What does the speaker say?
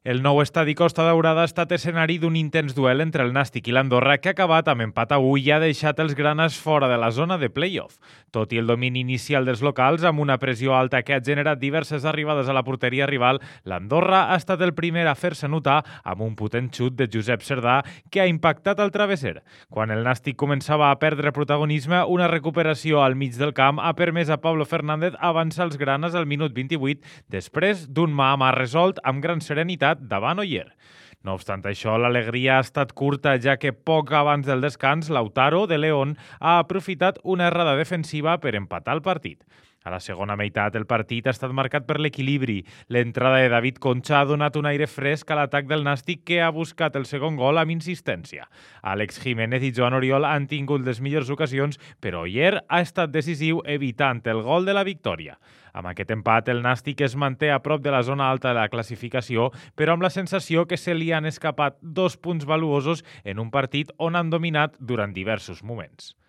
El nou estadi Costa Daurada ha estat escenari d'un intens duel entre el Nàstic i l'Andorra que ha acabat amb empat a 1 i ha deixat els granes fora de la zona de play-off. Tot i el domini inicial dels locals, amb una pressió alta que ha generat diverses arribades a la porteria rival, l'Andorra ha estat el primer a fer-se notar amb un potent xut de Josep Cerdà que ha impactat al travesser. Quan el Nàstic començava a perdre protagonisme, una recuperació al mig del camp ha permès a Pablo Fernández avançar els granes al minut 28 després d'un mà a mà resolt amb gran serenitat davant Oyer. No obstant això, l'alegria ha estat curta, ja que poc abans del descans, Lautaro, de León, ha aprofitat una errada defensiva per empatar el partit. A la segona meitat, el partit ha estat marcat per l'equilibri. L'entrada de David Concha ha donat un aire fresc a l'atac del Nàstic, que ha buscat el segon gol amb insistència. Àlex Jiménez i Joan Oriol han tingut les millors ocasions, però Oyer ha estat decisiu evitant el gol de la victòria. Amb aquest empat, el Nàstic es manté a prop de la zona alta de la classificació, però amb la sensació que se li han escapat 2 punts valuosos en un partit on han dominat durant diversos moments.